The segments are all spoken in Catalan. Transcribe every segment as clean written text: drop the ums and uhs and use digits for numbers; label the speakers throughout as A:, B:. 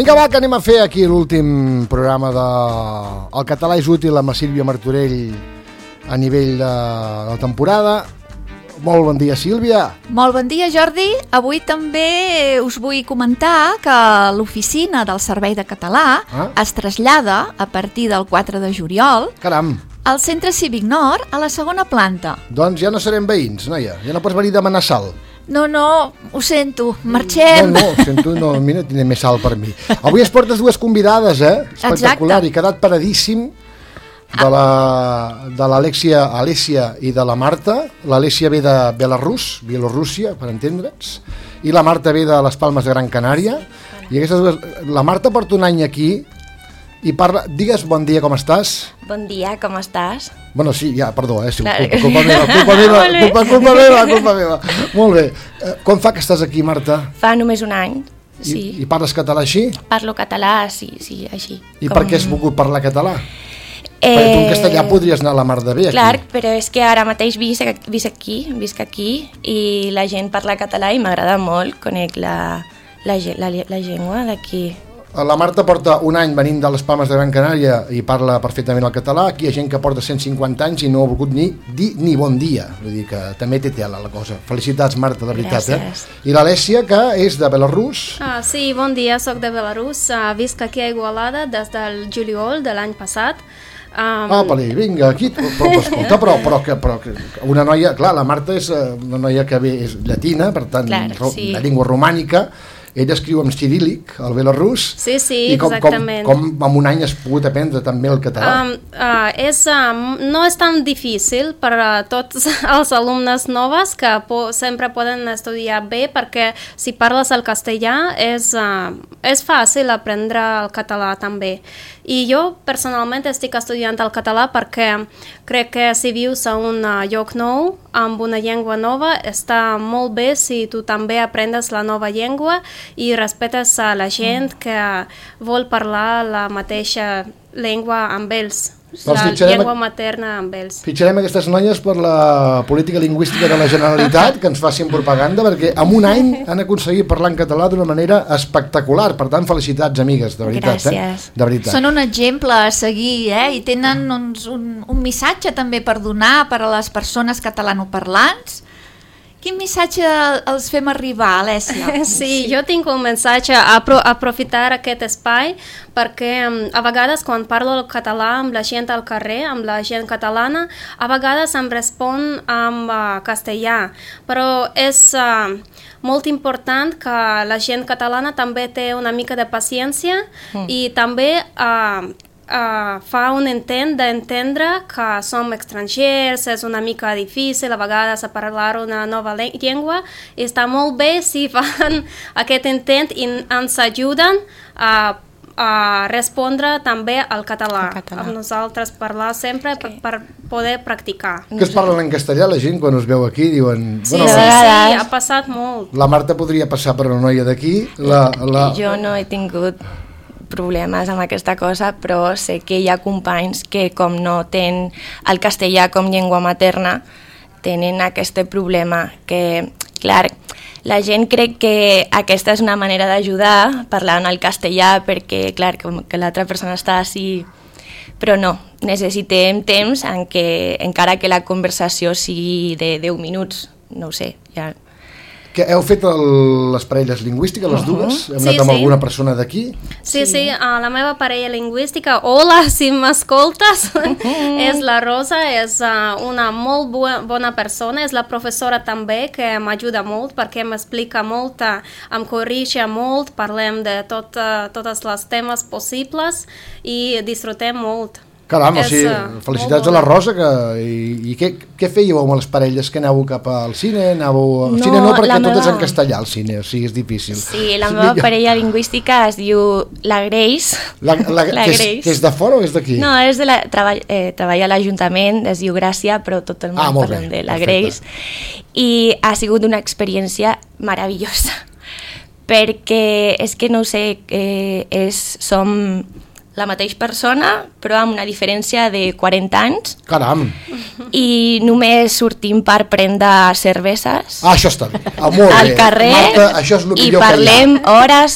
A: Vinga, va, que anem a fer aquí l'últim programa de El català és útil amb la Sílvia Martorell a nivell de la temporada. Molt bon dia, Sílvia.
B: Molt bon dia, Jordi. Avui també us vull comentar que l'oficina del Servei de Català es trasllada a partir del 4 de juliol al Centre Cívic Nord, a la segona planta.
A: Doncs ja no serem veïns, noia. Ja no pots venir a demanar sal.
B: No, ho sento, marxem.
A: No, ho sento, no, mira, tindré més sal per mi. Avui es portes dues convidades, espectacular. Exacte. I quedat paradíssim de l'Alessia i de la Marta. L'Alessia ve de Bielorússia, per entendre'ns, i la Marta ve de les Palmes de Gran Canària. I aquestes dues... La Marta porta un any aquí i parla... Digues bon dia, com estàs?
C: Bon dia, com estàs?
A: Bueno, sí, ja, perdó, sí, culpa meva. Molt bé. Com fa que estàs aquí, Marta?
C: Fa només un any, sí.
A: I parles català així?
C: Parlo català, sí, així.
A: I per què has volgut parlar català? Perquè tu en castellà podries anar a la mar de bé aquí.
C: Clar, però és que ara mateix visc aquí i la gent parla català i m'agrada molt, conec la llengua d'aquí.
A: La Marta porta un any venint de les Palmes de Gran Canària i parla perfectament el català. Aquí hi ha gent que porta 150 anys i no ha volgut dir ni bon dia. Vull dir que també té tela la cosa. Felicitats, Marta, de veritat.
C: Gràcies.
A: I l'Alessia, que és de Belarus.
D: Sí, bon dia, soc de Belarus. Visc aquí a Igualada des del juliol de l'any passat.
A: Vinga, aquí, però una noia, clar, la Marta és una noia que ve, és llatina, per tant, de llengua romànica. Ella escriu en ciríl·lic, el belarús.
D: Sí, exactament.
A: Com en un any has pogut aprendre també el català?
D: No és tan difícil per a tots els alumnes noves que sempre poden estudiar bé, perquè si parles el castellà és fàcil aprendre el català també. I jo personalment estic estudiant el català perquè crec que si vius a un lloc nou amb una llengua nova està molt bé si tu també aprendes la nova llengua i respetes a la gent que vol parlar la mateixa llengua amb ells, la llengua materna amb ells.
A: Fitxarem aquestes noies per la política lingüística de la Generalitat, que ens facin propaganda, perquè en un any han aconseguit parlar en català d'una manera espectacular. Per tant, felicitats, amigues, de veritat.
C: Gràcies.
A: De veritat.
B: Són un exemple a seguir, i tenen un missatge també per donar per a les persones catalanoparlants. Quin missatge els fem arribar, Alessia?
D: Sí, jo tinc un missatge a aprofitar aquest espai perquè a vegades quan parlo el català amb la gent al carrer, amb la gent catalana, a vegades em respon amb castellà, però és molt important que la gent catalana també té una mica de paciència i també fa un intent d'entendre que som estrangers, és una mica difícil a vegades a parlar una nova llengua, i està molt bé si fan aquest intent i ens ajuden a respondre també al català. A nosaltres parlar sempre per poder practicar.
A: Que es parlen en castellà la gent quan us veu aquí? Diuen...
D: Sí, ha passat molt.
A: La Marta podria passar per una noia d'aquí.
C: Jo no he tingut problemes amb aquesta cosa, però sé que hi ha companys que com no tenen el castellà com llengua materna tenen aquest problema que, clar, la gent crec que aquesta és una manera d'ajudar parlant el castellà perquè, clar, com que l'altra persona està així, però no, necessitem temps en què, encara que la conversació sigui de 10 minuts, no ho sé, ja...
A: Que heu fet les parelles lingüístiques, les dues? Hem anat amb alguna persona d'aquí?
D: Sí, la meva parella lingüística, hola, si m'escoltes, és la Rosa, és una molt bona persona, és la professora també, que m'ajuda molt, perquè m'explica molt, em corrige molt, parlem de totes les temes possibles i disfrutem molt.
A: Caram, felicitats a la Rosa. I què fèieu amb les parelles? Que anàveu cap al cine? Al cine no, perquè tot és en castellà, al cine, o sigui, és difícil.
C: Sí, la meva parella lingüística es diu la Grace.
A: La Grace. Que és de fora o és d'aquí?
C: No, treballa a l'Ajuntament, es diu Gràcia, però tot el món parlem de la Grace. I ha sigut una experiència meravellosa, perquè és que no ho sé, som la mateixa persona, però amb una diferència de 40 anys.
A: Caram!
C: I només sortim per prendre cerveses.
A: Això està bé. Molt
C: al carrer,
A: Marta, això és el
C: i
A: millor
C: parlem hores.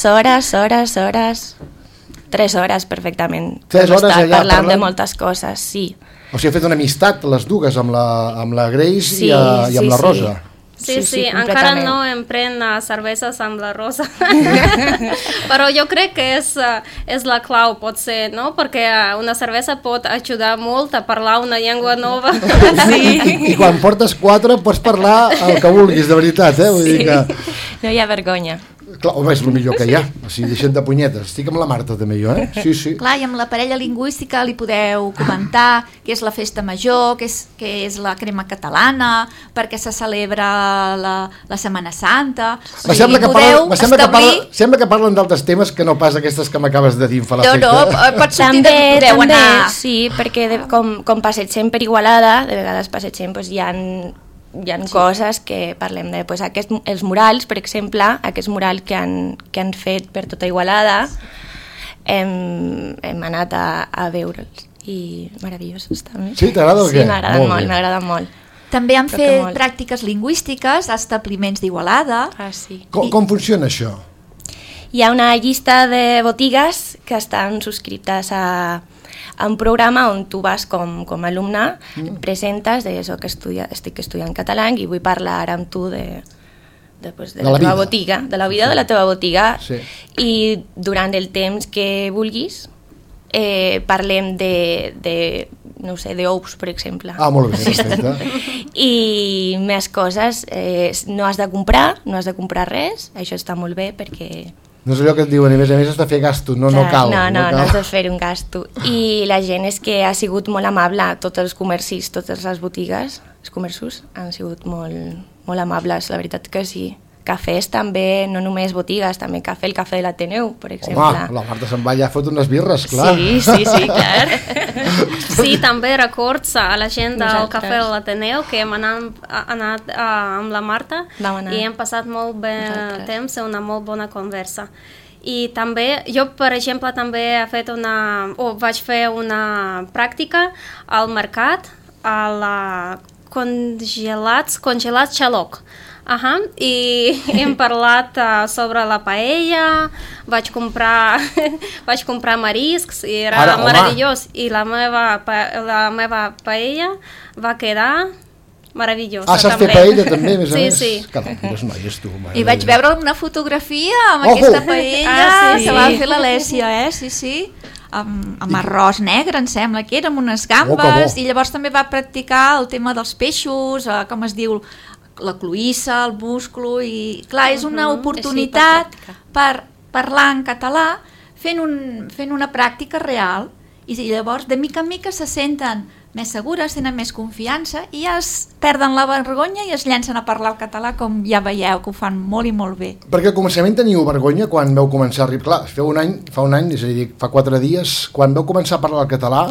C: 3 hores perfectament.
A: 3 hores allà
C: parlant de moltes coses, sí.
A: O sigui, ha fet una amistat, les dues, amb la Grace i amb la Rosa.
D: Sí, encara no em pren cerveses amb la Rosa. Però jo crec que és la clau, pot ser, no? Perquè una cervesa pot ajudar molt a parlar una llengua nova.
A: I quan portes 4 pots parlar el que vulguis, de veritat, eh? Vull dir que...
C: No hi ha vergonya.
A: Clar, home, és el millor que hi ha. O sigui, deixem de punyetes. Estic amb la Marta, també, jo, eh? Sí.
B: Clar, i amb la parella lingüística li podeu comentar què és la festa major, què és la crema catalana, perquè se celebra la Setmana Santa...
A: Sembla que parlen d'altres temes que no pas aquestes que m'acabes de dir en fa l'efecte.
B: No, pot sortir que podeu anar...
C: Sí, perquè com passegem per Igualada, de vegades passegem, doncs hi ha coses que parlem de... els murals, per exemple, aquest mural que han fet per tota Igualada, hem anat a veure'ls i meravellosos també.
A: Sí, t'agrada o què?
C: Sí, m'agraden molt.
B: També han fet pràctiques lingüístiques a establiments d'Igualada.
C: Sí.
A: Com funciona això?
C: Hi ha una llista de botigues que estan subscrites a un programa on tu vas com a alumne, presentes de això que estic estudiant català i vull parlar amb tu de la teva botiga, de la vida de la teva botiga, i durant el temps que vulguis parlem de no sé, d'ous, per exemple.
A: Molt bé, perfecte.
C: I més coses, no has de comprar res, això està molt bé perquè...
A: No és allò que et diuen, a més has de fer gasto, no cal.
C: No has de fer un gasto. I la gent és que ha sigut molt amable, tots els comercis, totes les botigues, els comerços han sigut molt amables, la veritat que sí. Cafès també, no només botigues, també el cafè de l'Ateneu, per exemple.
A: Home, la Marta se'n va allà a fotre unes birres, clar.
C: Sí, clar.
D: Sí, també records a la gent del cafè de l'Ateneu que hem anat amb la Marta i hem passat molt bé temps, una molt bona conversa. I també, jo per exemple també vaig fer una pràctica al mercat, a la congelats Xaloc. I hem parlat sobre la paella, vaig comprar mariscs i era meravellós, i la meva paella va quedar meravellosa.
A: Saps fer paella també, a més a més?
D: Sí.
A: Caram, quines noies tu.
B: I vaig veure una fotografia amb aquesta paella que va fer l'Alèssia, sí. Amb arròs negre, em sembla que era, amb unes gambes, i llavors també va practicar el tema dels peixos, com es diu, la cloïssa, el musclo, i clar, és una oportunitat per parlar en català fent una pràctica real, i llavors de mica en mica se senten més segures, tenen més confiança i ja es perden la vergonya i es llencen a parlar el català, com ja veieu que ho fan molt i molt bé.
A: Perquè al començament teniu vergonya quan vau començar a arribar, clar, fa un any, és a dir, fa 4 dies, quan vau començar a parlar el català,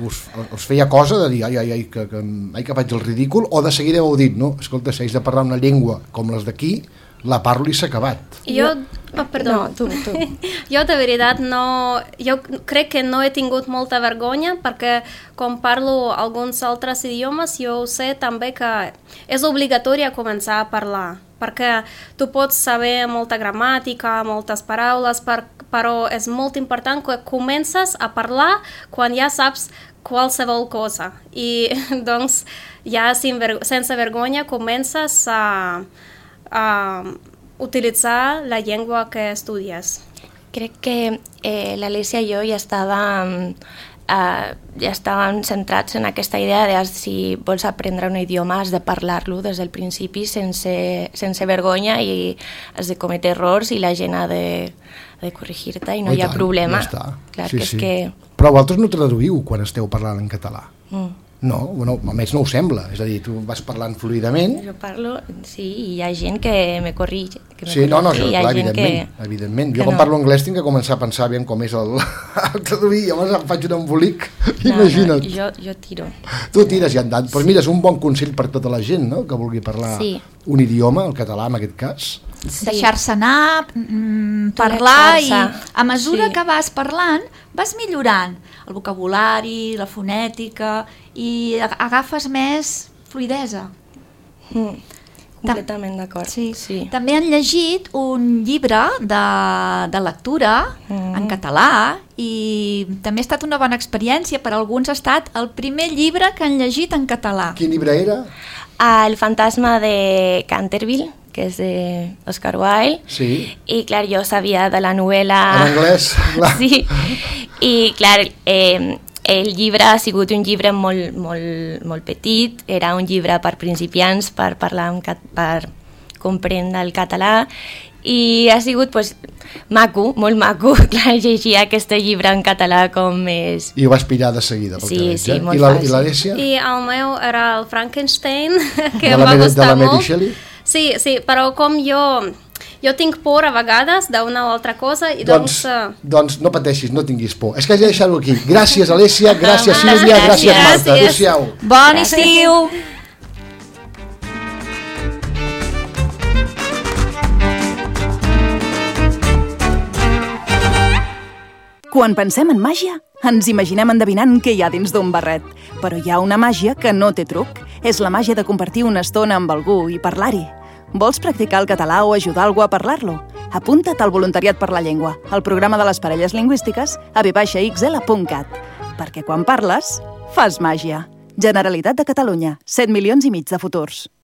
A: us feia cosa de dir, ai, que faig el ridícul, o de seguida heu dit, no, escolta, si haig de parlar una llengua com les d'aquí, la parlo i s'ha acabat.
D: Tu. Jo de veritat jo crec que no he tingut molta vergonya, perquè com parlo alguns altres idiomes jo sé també que és obligatori començar a parlar, perquè tu pots saber molta gramàtica, moltes paraules, però és molt important que comences a parlar quan ja saps qualsevol cosa, i doncs ja sense vergonya comences a utilitzar la llengua que estudies.
C: Crec que l'Alèssia i jo ja estàvem centrats en aquesta idea de si vols aprendre un idioma has de parlar-lo des del principi sense vergonya, i has de cometre errors i la gent ha de corregir-te i no hi ha problema. Clar, que...
A: Però vosaltres no traduïu quan esteu parlant en català? No, almenys no ho sembla, és a dir, tu vas parlant fluidament.
C: Jo parlo, sí, i hi ha gent que me corrige.
A: Sí, clar, evidentment. Jo quan parlo anglès tinc que començar a pensar aviam com és el traduir, llavors em faig un embolic, imagina't.
C: Jo tiro.
A: Tu tires i andant, però mira, és un bon consell per tota la gent, no?, que vulgui parlar un idioma, el català en aquest cas.
B: deixar-se anar, parlar, i a mesura que vas parlant vas millorant el vocabulari, la fonètica, i agafes més fluidesa.
C: Completament d'acord.
B: Sí. També han llegit un llibre de lectura en català, i també ha estat una bona experiència. Per alguns ha estat el primer llibre que han llegit en català.
A: Quin llibre era?
C: El fantasma de Canterville, que és d'Oscar Wilde.
A: Sí.
C: I, clar, jo sabia de la novel·la...
A: En anglès, clar.
C: Sí. I, clar, el llibre ha sigut un llibre molt petit, era un llibre per principiants, per parlar, per comprendre el català, i ha sigut maco, molt maco, clar, llegir aquest llibre en català com és...
A: I ho vas pillar de seguida, pel que veig.
C: Sí, molt fàcil.
A: I l'Alessia?
D: I el meu era el Frankenstein, que em va gustar molt. De la Mary Shelley? Sí, però com jo tinc por a vegades d'una o altra cosa, i doncs
A: no pateixis, no tinguis por. És que haig de deixar-ho aquí. Gràcies, Alessia, gràcies, Sílvia, gràcies, Marta. Adéu-siau.
B: Bon estiu!
E: Quan pensem en màgia, ens imaginem endevinant què hi ha dins d'un barret. Però hi ha una màgia que no té truc. És la màgia de compartir una estona amb algú i parlar-hi. Vols practicar el català o ajudar algú a parlar-lo? Apunta't al Voluntariat per la Llengua, al programa de les parelles lingüístiques a v-xl.cat. Perquè quan parles, fas màgia. Generalitat de Catalunya, 7,5 milions de futurs.